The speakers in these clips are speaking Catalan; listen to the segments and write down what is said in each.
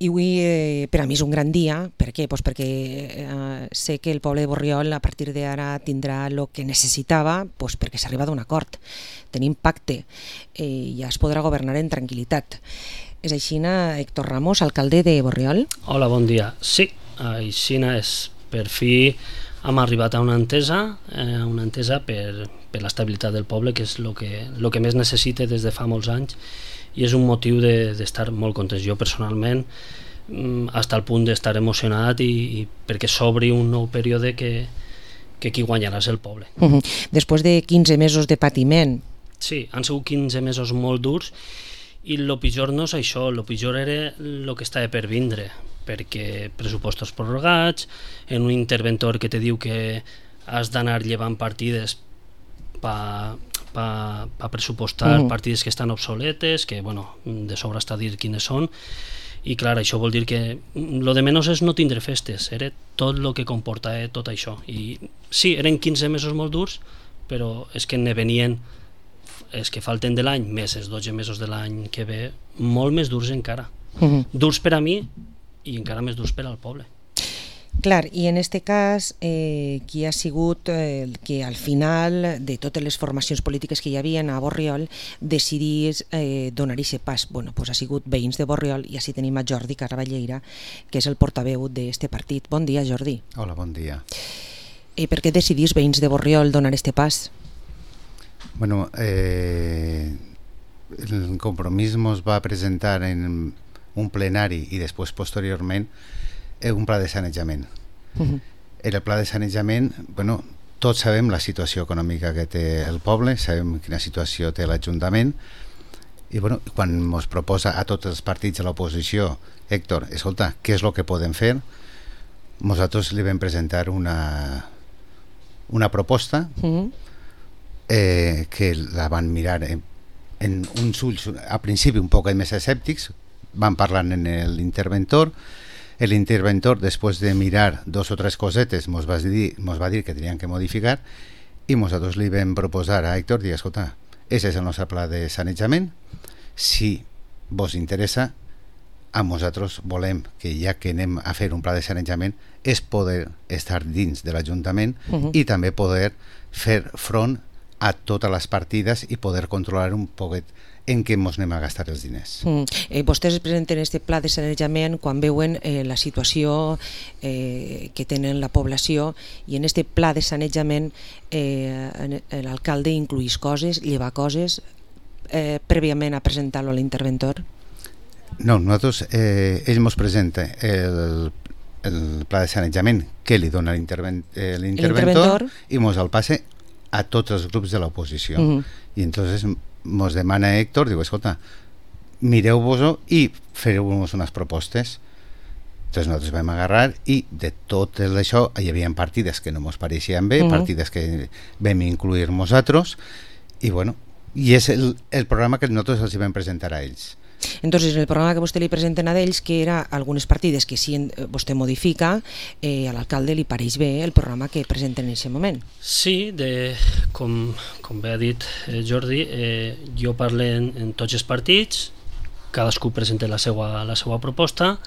I avui per a mi és un gran dia. Per què? Pues perquè sé que el poble de Borriol a partir d'ara tindrà el que necessitava, pues perquè s'arriba d'un acord. Tenim pacte i ja es podrà governar en tranquil·litat. És així, Héctor Ramos, alcalde de Borriol? Hola, bon dia. Sí, així és. Per fi hem arribat a una entesa per l'estabilitat del poble, que és el que més necessita des de fa molts anys, i és un motiu d'estar molt contents. Jo personalment, fins al punt d'estar emocionat i perquè s'obri un nou període que qui guanyarà és el poble. Després de 15 mesos de patiment. Sí, han sigut 15 mesos molt durs i el pitjor no és això, el pitjor era el que estava per vindre, perquè pressupostos prorrogats, en un interventor que te diu que has d'anar llevant partides per pressupostar partides que estan obsoletes, que de sobre està a dir quines són, i clar, això vol dir que lo de menys és no tindre festes, era tot el que comportava tot això. I sí, eren 15 mesos molt durs, però és que ne venien, és que falten de l'any, més els 12 mesos de l'any que ve, molt més durs encara. Durs per a mi i encara més durs per al poble. Clar, i en este cas, qui ha sigut que al final de totes les formacions polítiques que hi havia a Borriol decidís donar aquest pas? Bueno, pues ha sigut veïns de Borriol, i així tenim a Jordi Carballeira, que és el portaveu d'aquest partit. Bon dia, Jordi. Hola, bon dia. Per què decidís veïns de Borriol donar aquest pas? Bueno, el compromís ens va presentar en un plenari i després posteriorment un pla de sanejament. El pla de sanejament, tots sabem la situació econòmica que té el poble, sabem quina situació té l'Ajuntament, i quan ens proposa a tots els partits de l'oposició, Héctor, escolta, què és el que podem fer? Nosaltres li vam presentar una proposta que la van mirar en uns ulls, al principi un poc més escèptics, van parlar amb l'interventor. L'interventor, després de mirar 2 o 3 cosetes, ens va dir que tenien que modificar, i nosaltres li vam proposar a Héctor, dir, escolta, aquest és el nostre pla de sanejament, si vos interessa, a nosaltres volem que ja que anem a fer un pla de sanejament és poder estar dins de l'Ajuntament i també poder fer front a totes les partides i poder controlar un poquet en què ens anem a gastar els diners. Vostès presenten aquest pla de sanejament quan veuen la situació que tenen la població, i en aquest pla de sanejament l'alcalde incluís coses, lleva coses, prèviament a presentar-lo a l'interventor? No, nosaltres, ell ens presenta el pla de sanejament que li dona l'interventor i ens el passa a tots els grups de l'oposició. I entonces ens demana Héctor, diu, escolta, mireu-vos-ho i feu-vos unes propostes. Entonces nosaltres vam agarrar i de tot això hi havia partides que no ens pareixien bé, partides que vam incluir nosaltres, i és el programa que nosaltres els vam presentar a ells. Entonces, el programa que vostè li presenten a ells, que era algunes partides que si vostè modifica, a l'alcalde li pareix bé el programa que presenten en aquest moment. Sí, com bé ha dit Jordi, jo parlo en tots els partits, cadascú presenta la seva proposta,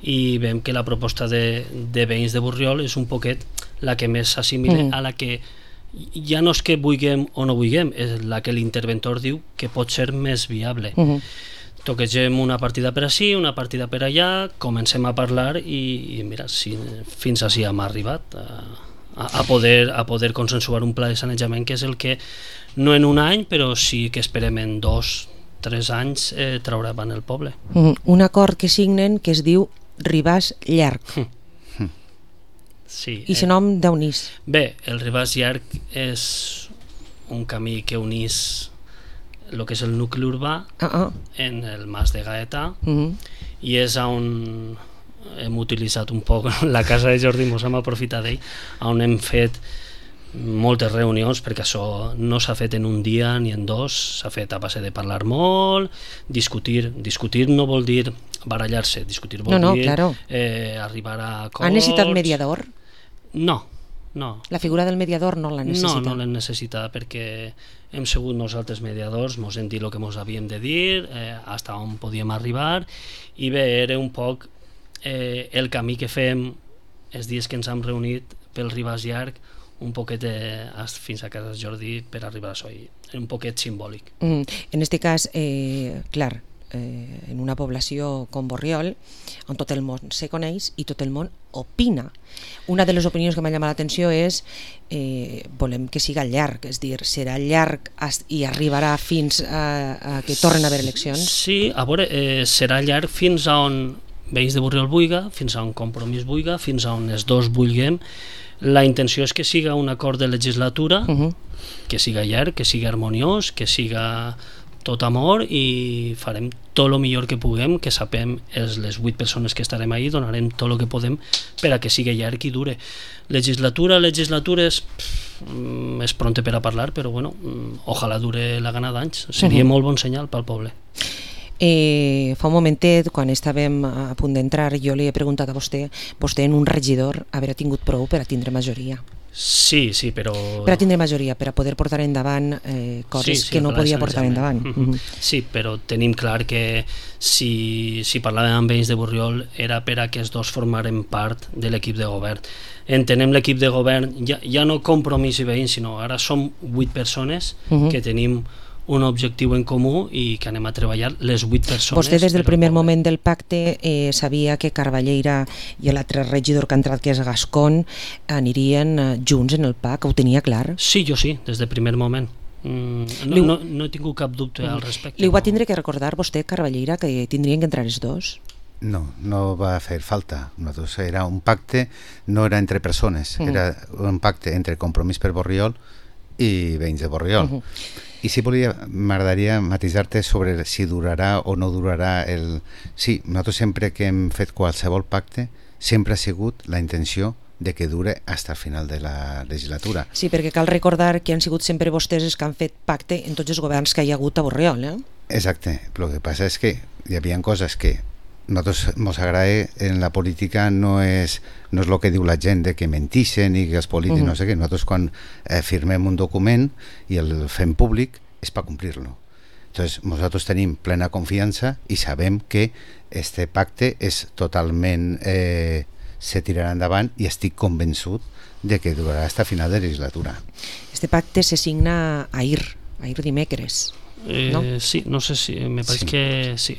i veiem que la proposta de veïns de Borriol és un poquet la que més s'assimila a la que ja no és que vulguem o no vulguem, és la que l'interventor diu que pot ser més viable. Toquegem una partida per ací, una partida per allà, comencem a parlar i mira, fins així hem arribat a poder consensuar un pla de sanejament, que és el que no en un any, però sí que esperem en 2-3 anys traurà avant el poble. Un acord que signen que es diu Ribàs Llarg. Sí. I el nom d'on és? Bé, el Ribàs Llarg és un camí que unís el que és el nucli urbà en el Mas de Gaeta, i és on hem utilitzat un poc la casa de Jordi, ens hem aprofitat d'ell, on hem fet moltes reunions, perquè això no s'ha fet en un dia ni en 2, s'ha fet a base de parlar molt, discutir no vol dir barallar-se, discutir vol dir arribar a acords. Ha necessitat mediador? No, No. La figura del mediador no la necessita? No la necessita, perquè hem sigut nosaltres mediadors, ens hem dit el que ens havíem de dir, fins on podíem arribar, i bé, era un poc el camí que fem els dies que ens hem reunit pel Ribàs Llarg, un poquet fins a casa de Jordi per arribar a això, era un poquet simbòlic. En este cas, clar, en una població com Borriol, on tot el món se coneix i tot el món opina. Una de les opinions que m'ha llamat l'atenció és volem que siga llarg, és dir, serà llarg i arribarà fins a que tornen a haver eleccions? Sí, a veure, serà llarg fins a on Veïns de Borriol vulga, fins a on Compromís vulga, fins a on els dos vulguem. La intenció és que siga un acord de legislatura, que siga llarg, que siga harmoniós, que siga tot amor, i farem tot el millor que puguem, que sapem les 8 persones que estarem ahí, donarem tot el que podem per a que sigui llarg i dure. Legislatura és pronte per a parlar, però bueno, ojalà dure la gana d'anys, seria molt bon senyal pel poble. Fa un momentet, quan estàvem a punt d'entrar, jo li he preguntat a vostè en un regidor haver tingut prou per a tindre majoria. Sí, però... Per a tindre majoria, per a poder portar endavant coses que no podia portar endavant. Sí, però tenim clar que si parlàvem amb Veïns de Borriol era per a que els dos formaren part de l'equip de govern. Entenem l'equip de govern, ja no Compromís i Veïns, sinó ara som 8 persones que tenim un objectiu en comú i que anem a treballar les 8 persones. Vostè des del primer moment del pacte sabia que Carballeira i l'altre regidor que ha entrat, que és Gascón, anirien junts en el PAC? Ho tenia clar? Sí, jo sí, des del primer moment. No he tingut cap dubte al respecte. Li va tindre que recordar vostè, Carballeira, que tindrien que entrar els dos? No va fer falta. Era un pacte, no era entre persones, era un pacte entre Compromís per Borriol i Veïns de Borriol. I si m'agradaria matisar-te sobre si durarà o no durarà el... Sí, nosaltres sempre que hem fet qualsevol pacte sempre ha sigut la intenció de que dure fins al final de la legislatura. Sí, perquè cal recordar que han sigut sempre vostès els que han fet pacte en tots els governs que hi ha hagut a Borriol, Exacte, el que passa és que hi havia coses que nosaltres ens agrada en la política, no és el que diu la gent de que mentixen i que els polítics no sé què. Nosaltres quan firmem un document i el fem públic és per complir-lo. Entonces nosaltres tenim plena confiança i sabem que este pacte és totalment se tirarà endavant i estic convençut de que durarà fins a final de legislatura. Este pacte se signa ahir dimecres. ¿No? Sí, no sé si me parece que sí,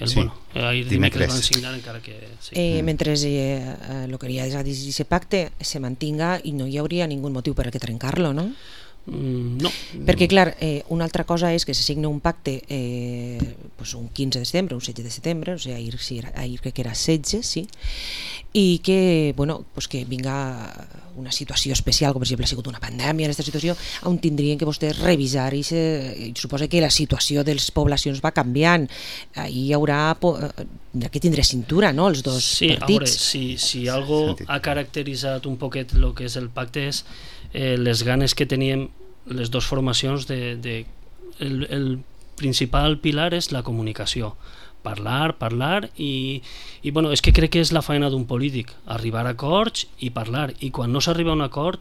ahir dimecres van signar encara que sí. Mentre el que hi ha d'aquest pacte se mantinga i no hi hauria ningú motiu per a que trencar-lo, no? No. Perquè clar, una altra cosa és que se signa un pacte un 15 de setembre, un 16 de setembre, o sigui, ahir crec que era 16, sí, i que, que vinga una situació especial, com per exemple ha sigut una pandèmia en aquesta situació, on tindrien que vostès revisar i suposa que la situació de les poblacions va canviant, hi haurà que tindre cintura, no?, els dos partits. Sí, a veure, si algo ha caracteritzat un poquet el que és el pacte és les ganes que teníem les dues formacions el principal pilar és la comunicació, parlar i és que crec que és la feina d'un polític, arribar a acords i parlar, i quan no s'arriba a un acord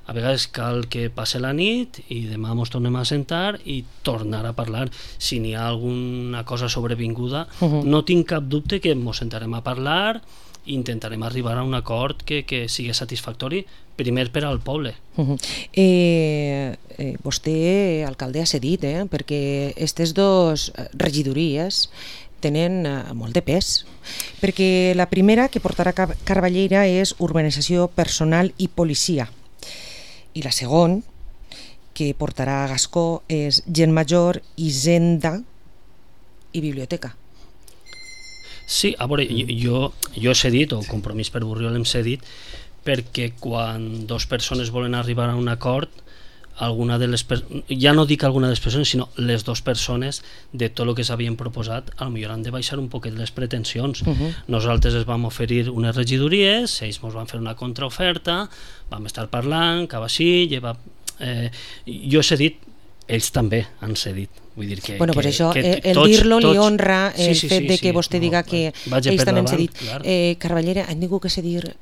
a vegades cal que passe la nit i demà ens tornem a sentar i tornar a parlar. Si n'hi ha alguna cosa sobrevinguda no tinc cap dubte que ens sentarem a parlar i intentarem arribar a un acord que sigui satisfactori primer per al poble. Vostè, alcalde, ha cedit, perquè aquestes dues regidories tenen molt de pes, perquè la primera que portarà Carballeira és urbanització personal i policia, i la segona que portarà Gascó és gent major, hisenda i biblioteca. Sí, a veure, jo he cedit, o Compromís per Borriol hem cedit, perquè quan dues persones volen arribar a un acord, ja no dic alguna de les persones, sinó les dues persones de tot el que s'havien proposat, potser han de baixar un poquet les pretensions. Nosaltres ens vam oferir unes regidories, ells ens van fer una contraoferta, vam estar parlant, cap així, jo he cedit ells també han cedit. Vull dir que, bueno, pues això, el tots, dir-lo li honra el fet de que vostè diga que ells també han cedit. Carballera, han tingut que cedir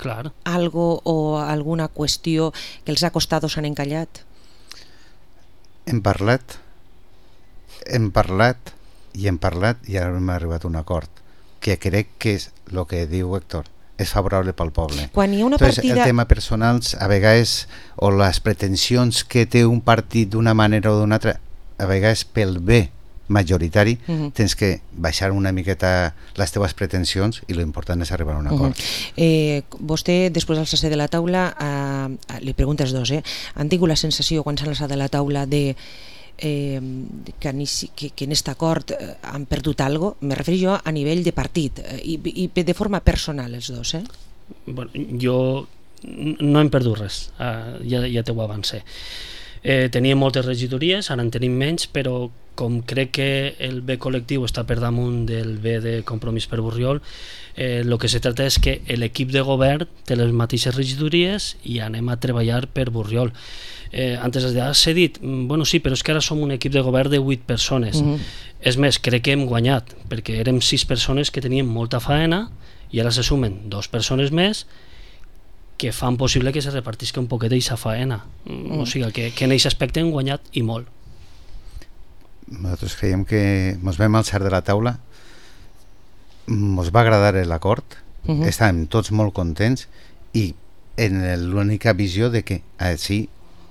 algo o alguna qüestió que els ha costat o s'han encallat? Hem parlat i ara hem arribat a un acord que crec que és el que diu Héctor, és favorable pel poble. Quan hi ha una Entonces, partida... el tema personals, a vegades, o les pretensions que té un partit d'una manera o d'una altra, a vegades pel bé majoritari, tens que baixar una miqueta les teves pretensions i l'important és arribar a un acord. Vostè, després d'alçar-se de la taula, li preguntes dos, han tingut la sensació, quan s'han alçat de la taula, que en aquest acord han perdut alguna cosa? Me refereixo jo a nivell de partit i de forma personal els dos. Bueno, jo no hem perdut res, ja t'ho avancé. Teníem moltes regidories, ara en tenim menys, però com crec que el bé col·lectiu està per damunt del bé de Compromís per Borriol, el que se tracta és que l'equip de govern té les mateixes regidories i anem a treballar per Borriol. Antes has dit, bueno, sí, però és que ara som un equip de govern de 8 persones. És més, crec que hem guanyat, perquè érem 6 persones que teníem molta faena i ara se sumen 2 persones més que fan possible que se repartisca un poquet d'aquesta faena. O sigui, que en aquest aspecte hem guanyat i molt. Nosaltres creiem que ens vam alçar de la taula, ens va agradar l'acord, estàvem tots molt contents i en l'única visió de que sí,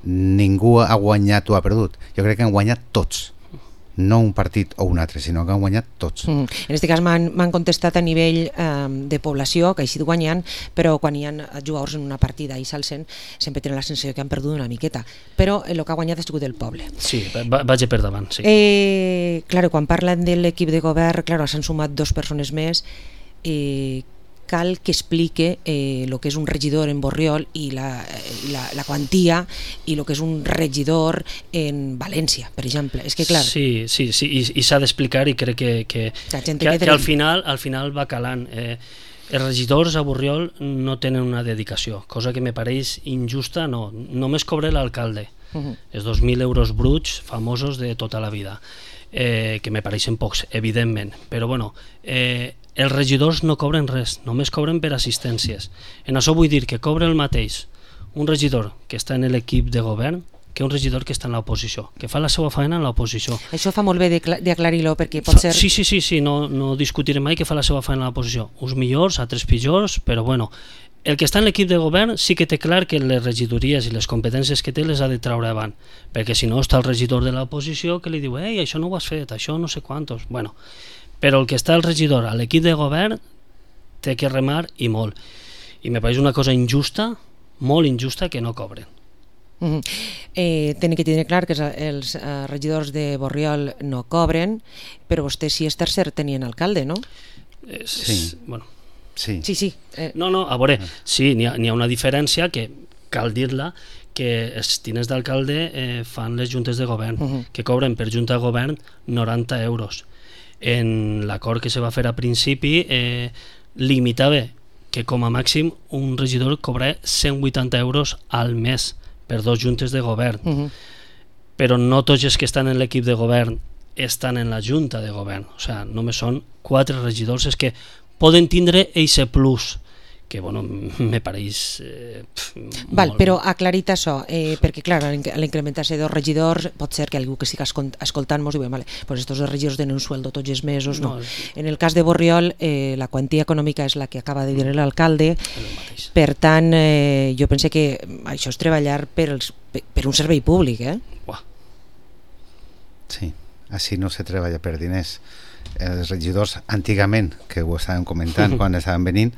ningú ha guanyat o ha perdut. Jo crec que han guanyat tots, no un partit o un altre, sinó que han guanyat tots. En aquest cas m'han contestat a nivell de població, que ha sigut guanyant, però quan hi ha jugadors en una partida i s'alcen, sempre tenen la sensació que han perdut una miqueta. Però el que ha guanyat ha sigut el poble. Sí, vaig per davant, sí. Claro, quan parlen de l'equip de govern, claro, s'han sumat 2 persones més, cal que explique el que és un regidor en Borriol i la quantia i el que és un regidor en València, per exemple. És que, clar... Sí, i s'ha d'explicar i crec que al final va calant. Els regidors a Borriol no tenen una dedicació, cosa que me pareix injusta. No, només cobra l'alcalde, els 2.000 euros bruts famosos de tota la vida, que me pareixen pocs, evidentment, però bueno... els regidors no cobren res, només cobren per assistències. En això vull dir que cobra el mateix un regidor que està en l'equip de govern que un regidor que està en l'oposició, que fa la seva feina en l'oposició. Això fa molt bé d'aclarir-ho, perquè pot ser... Sí, no discutirem mai que fa la seva feina en l'oposició. Uns millors, altres pitjors, però bueno, el que està en l'equip de govern sí que té clar que les regidories i les competències que té les ha de treure avant, perquè si no està el regidor de l'oposició que li diu això no ho has fet, això no sé quantos... Bueno, però el que està el regidor a l'equip de govern té que remar i molt. I me pareix una cosa injusta, molt injusta, que no cobren. Tenen que tenir clar que els regidors de Borriol no cobren, però vostè, si és tercer, tenien alcalde, no? Sí. Bueno. Sí. No, a veure, sí, n'hi ha una diferència que cal dir-la, que els tinents d'alcalde fan les juntes de govern, que cobren per junta de govern 90 euros. En l'acord que se va fer a principi limitava que com a màxim un regidor cobrava 180 euros al mes per 2 juntes de govern, però no tots els que estan en l'equip de govern estan en la junta de govern, o sigui, només són 4 regidors els que poden tindre eixe plus, que bueno, me pareix molt... Però aclarit això, perquè clar, a l'incrementar-se 2 regidors pot ser que algú que estigui escoltant-nos diu, vale, pues estos 2 regidors tenen un sueldo tots els mesos, no. En el cas de Borriol la quantia econòmica és la que acaba de dir l'alcalde, per tant jo pense que això és treballar per un servei públic. Sí, així no se treballa per diners. Els regidors antigament, que ho estàvem comentant quan estaven venint,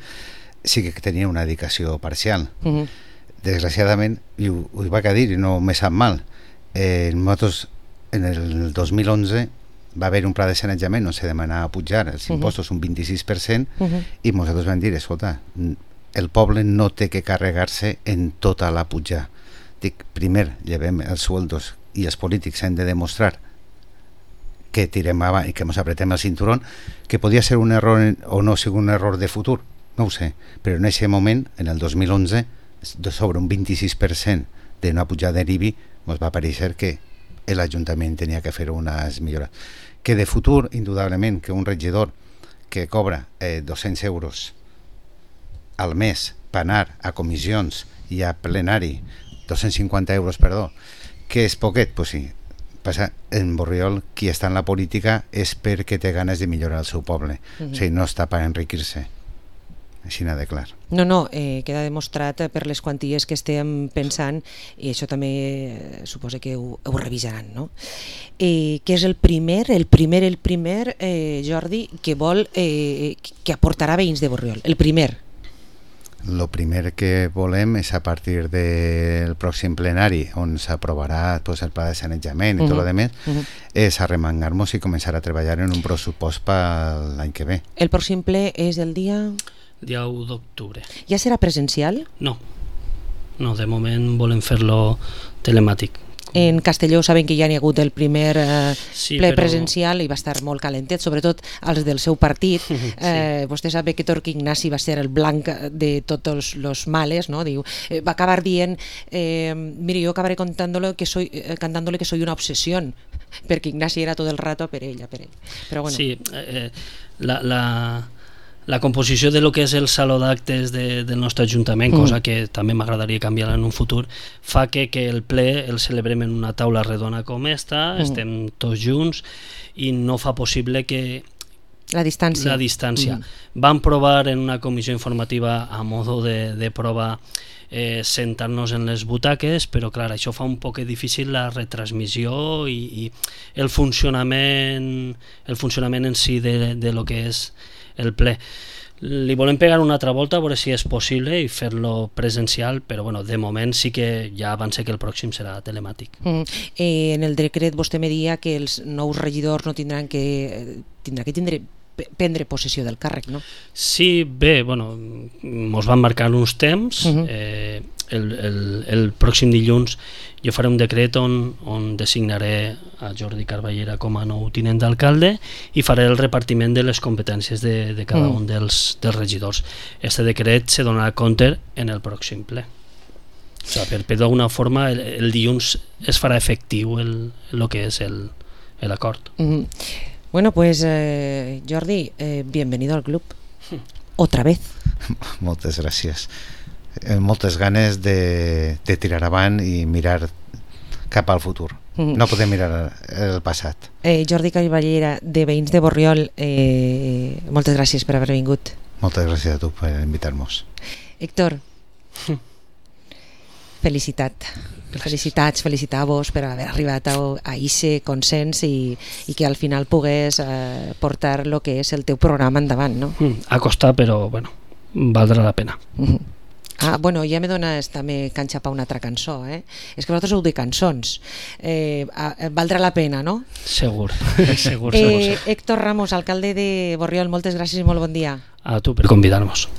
sí que tenia una dedicació parcial. Desgraciadament, i ho vaig a dir i no me sap mal, nosaltres en el 2011 va haver un pla de sanejament on se demanava pujar els impostos un 26% i nosaltres vam dir, escolta, el poble no té que carregar-se en tota la puja. Dic, primer llevem els sueldos i els polítics han de demostrar que tirem avant i que ens apretem el cinturón, que podia ser un error o no sigui un error de futur, no ho sé, però en aquest moment, en el 2011, sobre un 26% d'una pujada de l'IBI, ens va pareixer que l'Ajuntament tenia que fer unes millores. Que de futur, indudablement, que un regidor que cobra 200 euros al mes per anar a comissions i a plenari, 250 euros, perdó, que és poquet, doncs sí. Passa, en Borriol, qui està en la política és perquè té ganes de millorar el seu poble. O sigui, no està per enriquir-se. Així n'ha de clar. No, queda demostrat per les quanties que estem pensant, i això també suposa que ho revisaran, no? Que és el primer, Jordi, que vol que aportarà veïns de Borriol, el primer. El primer que volem és a partir del pròxim plenari, on s'aprovarà pues, el pla de sanejament i tot el demés, és arremangar-nos i començar a treballar en un pressupost per l'any que ve. El pròxim ple és el dia 1 d'octubre. Ja serà presencial? No, de moment volem fer-lo telemàtic. En Castelló saben que ja n'hi ha hagut el primer ple però... presencial i va estar molt calentet, sobretot els del seu partit. Vostè sap que Torqui Ignasi va ser el blanc de tots els males, no? Diu, va acabar dient, mire, jo acabaré cantándole que soy una obsesión, perquè Ignasi era tot el rato per ella. Però bueno. Sí, la composició de lo que és el saló d'actes del nostre Ajuntament, cosa que també m'agradaria canviar en un futur, fa que el ple el celebrem en una taula redona com esta, estem tots junts i no fa possible que la distància. Vam provar en una comissió informativa a modo de prova sentar-nos en les butaques, però clar, això fa un poc difícil la retransmissió i el funcionament en si de lo que és el ple. Li volem pegar una altra volta a veure si és possible i fer-lo presencial, però bueno, de moment sí que ja avance que el pròxim serà telemàtic. En el decret vostè me deia que els nous regidors no tindran que prendre possessió del càrrec, no? Sí, bé, bueno, mos van marcar uns temps. El pròxim dilluns jo faré un decret on designaré a Jordi Carballera com a nou tinent d'alcalde i faré el repartiment de les competències de cada un dels regidors. Este decret se donarà compte en el pròxim ple. O sigui, per d'alguna forma el dilluns es farà efectiu el que és l'acord. Bueno, pues Jordi, bienvenido al club. Otra vez. Moltes gràcies. Moltes ganes de tirar avant i mirar cap al futur. No podem mirar el passat. Jordi Carballera, de Veïns de Borriol, moltes gràcies per haver vingut. Moltes gràcies a tu per invitar-nos. Héctor, felicitar-vos per haver arribat a aquest consens i que al final pogués portar el que és el teu programa endavant, no? Ha costat, però bueno, valdrà la pena. Bueno, ja me dones també canxa per una altra cançó, És que vosaltres heu de cançons. Valdrà la pena, no? Segur. Héctor Ramos, alcalde de Borriol, moltes gràcies i molt bon dia. A tu per convidar-nos.